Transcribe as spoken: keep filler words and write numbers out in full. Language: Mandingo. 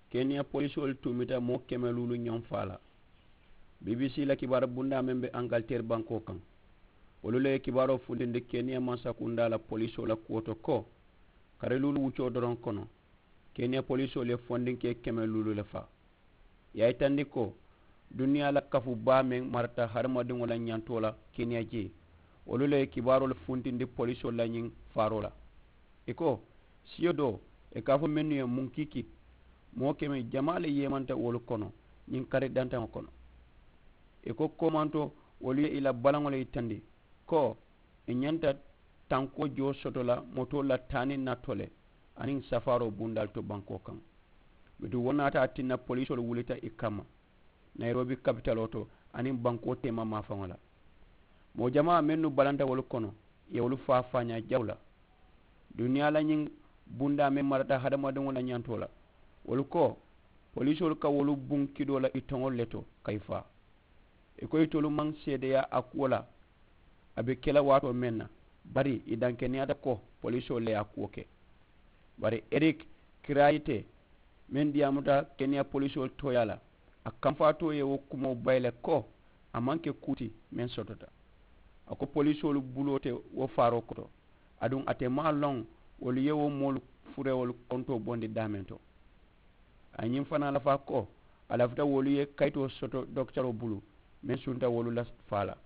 Keniya polisoolu tuumita moo keme luulu ñoŋ faa la. Bbc la kibaaru bundaa meŋ be angaliteeri bankoo kaŋ, wolu le ye kibaaroo funtindi keniya mansakundaa la polisoolu la kuwo to ko, kari luulu wuccoo doroŋ kono, keniya polisoolu ye fondinkee keme luulu le faa. Ì ye a yitandi ko, duniyaa la kafu baa meŋ marata hadamadiŋo la ñantoo la keniya jee, wolu le ye kibaaroolu funtindi polisoolu la ñiŋ faaroo la. Ì ko, siyo doo, ì ka a fo mennu ye munkiki, moo keme jamaa le yeemanta wolu kono ñiŋ kari dantaŋo kono. Ì ko koomanto, wolu ye ì la balaŋo le yitandi ko, ì ñanta tankoo joo soto la motoolu la taa niŋ naa to le, aniŋ safaaroo bundaalu to bankoo kaŋ. Bituŋ wo naata a tinna polisoolu wulita ì kamma, nayirobi kapitaloo to, aniŋ bankoo teema maafaŋo la. Moo jamaa mennu balanta wolu kono, ì ye wolu faa faañaa jawu la. Duniyaa la ñiŋ bundaa meŋ marata hadamadiŋo la ñantoo la, wolu ko, polisoolu ka wolu buŋ kidoo la ì toŋolu le to ka ì faa. Ì ko itolu maŋ seedeyaa a kuwo la, a be ke la waatoo meŋ na, bari ì dankeneyaata ko polisoolu le ye a kuwo ke. Bari erik kirayite, meŋ diyaamuta keniya polisoolu tooyaa la, a kamfaatoo ye wo kumoo bayi le ko, a maŋ ke kuu ti meŋ sotota. A ko polisoolu buloo te wo faaroo koto, aduŋ a te maŋ a loŋ wolu ye wo moolu furewolu kontoo bondi daameŋ to. A ye ñiŋ fanaa lafaa ko, a lafita wolu ye kayitoo soto dokitaroo bulu, meŋ sunta wolu la faa la.